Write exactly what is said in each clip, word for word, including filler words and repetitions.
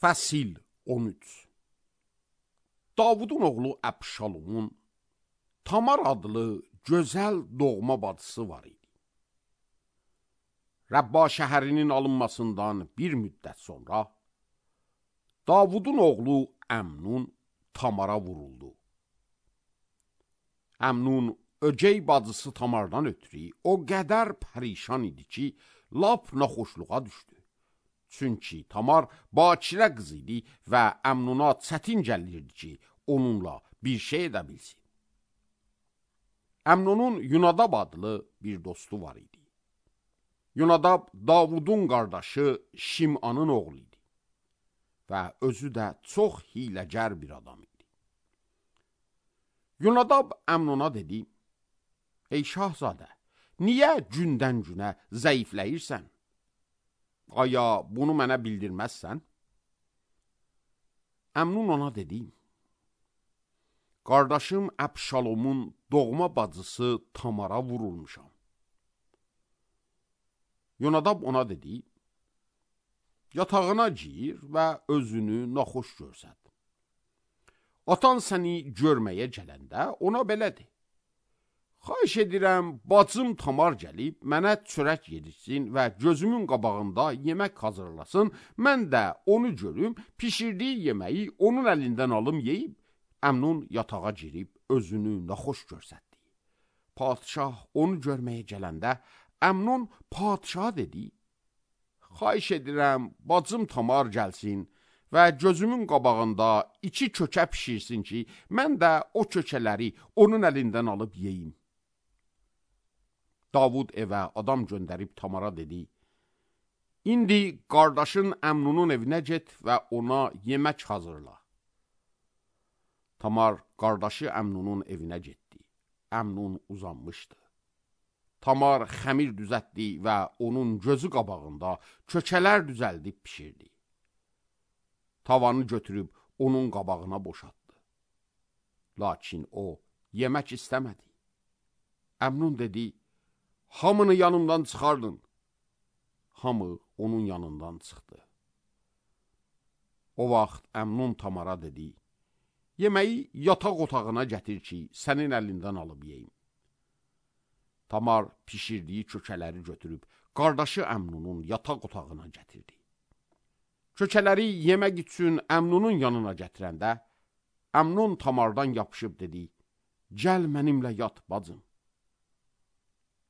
Fəsil on üç. Davudun oğlu Əbşalomun Tamar adlı gözəl doğma bacısı var idi. Rəbba şəhərinin alınmasından bir müddət sonra Davudun oğlu Əmnun Tamara vuruldu. Əmnun ögey bacısı Tamardan ötürü o qədər pərişan idi ki, lap naxoşluğa düşdü. Çünki Tamar bakirə qız idi və Əmnuna çətin gəlirdi ki, onunla bir şey edə bilsin. Əmnunun Yunadab adlı bir dostu var idi. Yunadab Davudun qardaşı Şimanın oğlu idi və özü də çox hiləgər bir adam idi. Yunadab Əmnuna dedi: Ey şahzadə, niyə gündən günə zəifləyirsən? Aya bunu mənə bildirməzsən? Əmnun ona dedi: Qardaşım Əbşalomun doğma bacısı Tamara vurulmuşam. Yunadab ona dedi: Yatağına gir və özünü naxoş görsət. Atan səni görməyə gələndə ona belə de: Xahiş edirəm, bacım Tamar gəlib mənə çörək yedirsin və gözümün qabağında yemək hazırlasın, mən də onu görüm, pişirdiyi yeməyi onun əlindən alım yeyib. Əmnun yatağa girib özünü naxoş görsətdi. Padişah onu görməyə gələndə Əmnun padişaha dedi: Xahiş edirəm, bacım Tamar gəlsin və gözümün qabağında iki kökə pişirsin ki, mən də o kökələri onun əlindən alıb yeyim. Davud evə adam göndərib Tamara dedi: İndi qardaşın Əmnunun evinə get və ona yemək hazırla. Tamar qardaşı Əmnunun evinə getdi. Əmnun uzanmışdı. Tamar xəmir düzəltdi və onun gözü qabağında kökələr düzəldib pişirdi. Tavanı götürüb onun qabağına boşaltdı. Lakin o yemək istəmədi. Əmnun dedi: Hamını yanımdan çıxardın. Hamı onun yanından çıxdı. O vaxt Əmnun Tamara dedi: Yeməyi yataq otağına gətir ki, sənin əlindən alıb yeyim. Tamar pişirdiyi kökələri götürüb qardaşı Əmnunun yataq otağına gətirdi. Kökələri yemək üçün Əmnunun yanına gətirəndə Əmnun Tamardan yapışıb dedi: Gəl mənimlə yat bacım.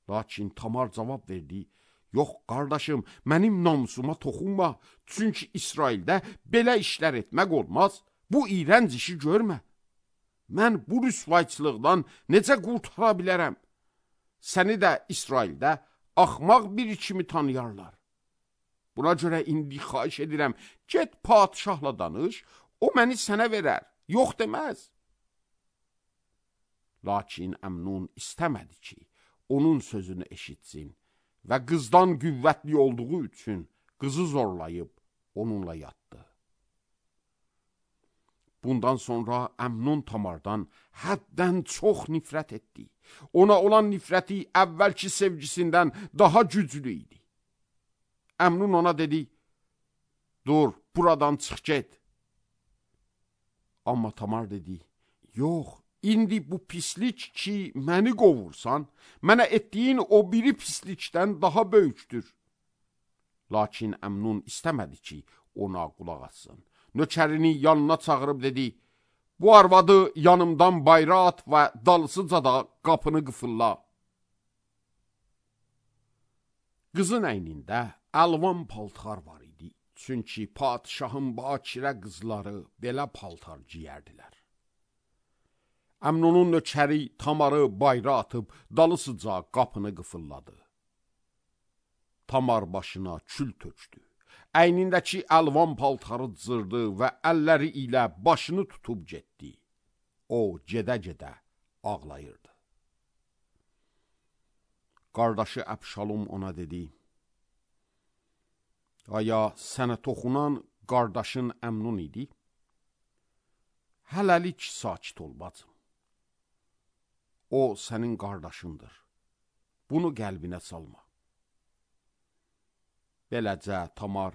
Lakin Tamar cavab verdi: Yox qardaşım, mənim namusuma toxunma, çünki İsraildə belə işlər etmək olmaz, bu iyrənc işi görmə. Mən bu rüsvayçılıqdan necə qurtara bilərəm? Səni də İsraildə axmaq biri kimi tanıyarlar. Buna görə indi xahiş edirəm, get padişahla danış, o məni sənə verər, yox deməz. Lakin Əmnun istəmədi ki, onun sözünü eşitsin və qızdan qüvvətli olduğu üçün qızı zorlayıb onunla yatdı. Bundan sonra Əmnun Tamardan həddən çox nifrət etdi. Ona olan nifrəti əvvəlki sevgisindən daha güclü idi. Əmnun ona dedi: Dur, buradan çıx get. Amma Tamar dedi: Yox, indi bu pislik ki, məni qovursan, mənə etdiyin o biri pislikdən daha böyükdür. Lakin Əmnun istəmədi ki, ona qulaq atsın. Nökərini yanına çağırıb dedi: Bu arvadı yanımdan bayra at və dalısıca da qapını qıfılla. Qızın əynində əlvan paltar var idi, çünki padişahın bakirə qızları belə paltar giyərdilər. Əmnunun nökəri Tamarı bayra atıb dalısıca qapını qıfılladı. Tamar başına kül tökdü. Əynindəki əlvan paltarı cırdı və əlləri ilə başını tutub getdi. O gedə-gedə ağlayırdı. Qardaşı Əbşalom ona dedi: Aya sənə toxunan qardaşın Əmnun idi? Hələlik sakit ol bacım. O sənin qardaşındır. Bunu qəlbinə salma. Beləcə Tamar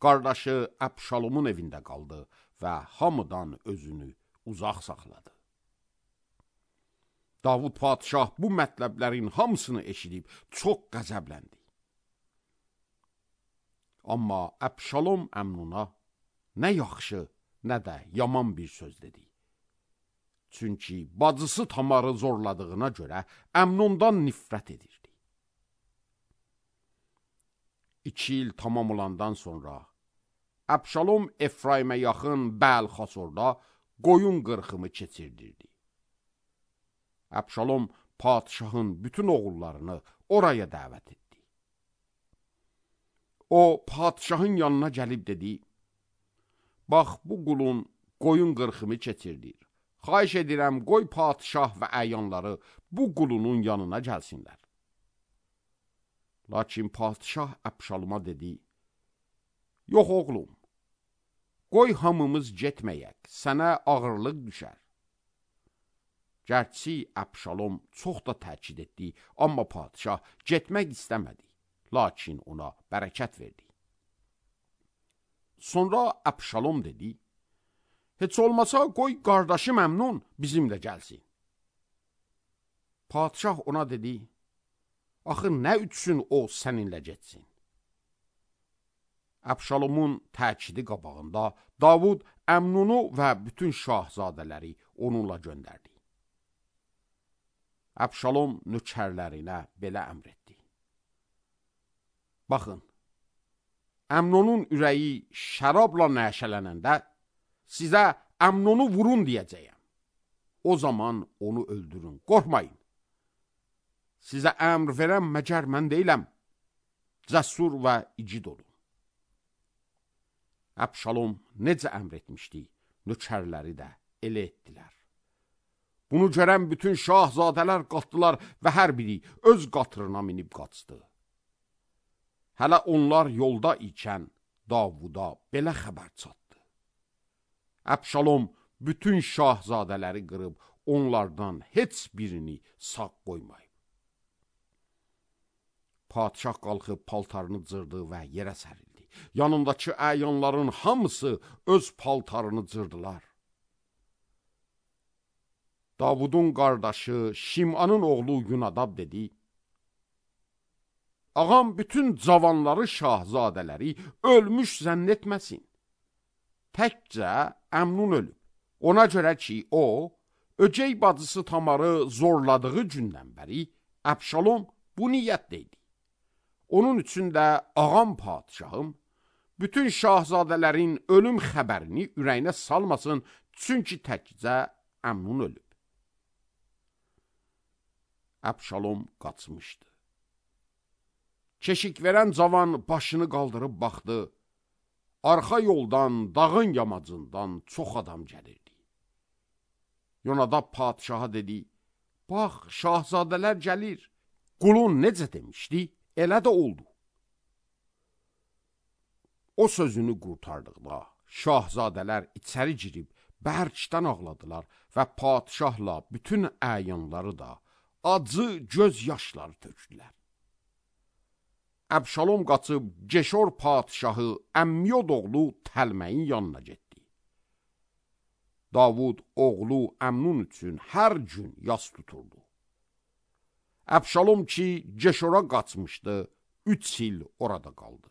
qardaşı Əbşalomun evində qaldı və hamıdan özünü uzaq saxladı. Davud padişah bu mətləblərin hamısını eşidib çox qəzəbləndi. Amma Əbşalom Əmnuna nə yaxşı, nə də yaman bir söz dedi. Çünki bacısı Tamarı zorladığına görə Əmnondan nifrət edirdi. İki il tamam olandan sonra Əbşalom Efraimə yaxın Bəl-Xasorda qoyun qırxımı keçirdirdi. Əbşalom padişahın bütün oğullarını oraya dəvət etdi. O, padişahın yanına gəlib dedi, bax, bu qulun qoyun qırxımı keçirdir. Xahiş edirəm, qoy padişah və əyanları bu qulunun yanına gəlsinlər. Lakin padişah Əbşaloma dedi, yox oğlum, qoy hamımız getməyək, sənə ağırlıq düşər. Gərçi Əbşalom çox da təkid etdi, amma padişah getmək istəmədi, lakin ona bərəkət verdi. Sonra Əbşalom dedi, heç olmasa qoy qardaşım Əmnon bizimlə gəlsin. Padişah ona dedi, axı nə üçün o səninlə getsin? Əbşalomun təkidi qabağında Davud Əmnonu və bütün şahzadələri onunla göndərdi. Əbşalom nökərlərinə belə əmr etdi. Baxın, Əmnonun ürəyi şərabla nəşələnəndə sizə Əmnonu vurun deyəcəyəm. O zaman onu öldürün, qorxmayın. Sizə əmr verəm məgər mən deyiləm, cəsur və igid olun. Əbşalom necə əmr etmişdi, nökərləri də elə etdilər. Bunu görən bütün şahzadələr qalxdılar və hər biri öz qatırına minib qaçdı. Hələ onlar yolda ikən Davuda belə xəbər çatdı. Əbşalom bütün şahzadələri qırıb onlardan heç birini sağ qoymayıb. Padişah qalxıb paltarını cırdı və yerə sərildi. Yanındakı əyanların hamısı öz paltarını cırdılar. Davudun qardaşı Şimanın oğlu Yunadab dedi, ağam bütün cavanları şahzadələri ölmüş zənn etməsin. Təkcə Əmnun ölüb. Ona görə ki, o, öcək bacısı Tamarı zorladığı gündən bəri Əbşalom bu niyyətdə idi. Onun üçün də ağam padişahım bütün şahzadələrin ölüm xəbərini ürəyinə salmasın, çünki təkcə Əmnun ölüb. Əbşalom qaçmışdı. Keşik verən cavan başını qaldırıb baxdı. Arxa yoldan, dağın yamacından çox adam gəlirdi. Yonadab padişaha dedi, bax, şahzadələr gəlir. Qulun necə demişdi, elə də oldu. O sözünü qurtardıqda, şahzadələr içəri girib bərkdən ağladılar və padişahla bütün əyanları da acı göz yaşları tökdülər. Əbşalom qaçıb Geşor padişahı Əmmiyod oğlu Təlməyin yanına getdi. Davud oğlu Əmnun üçün hər gün yas tuturdu. Əbşalom ki Geşora qaçmışdı, üç il orada qaldı.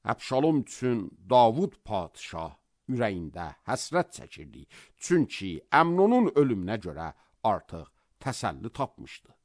Əbşalom üçün Davud padişah ürəyində həsrət çəkirdi, çünki Əmnonun ölümünə görə artıq təsəlli tapmışdı.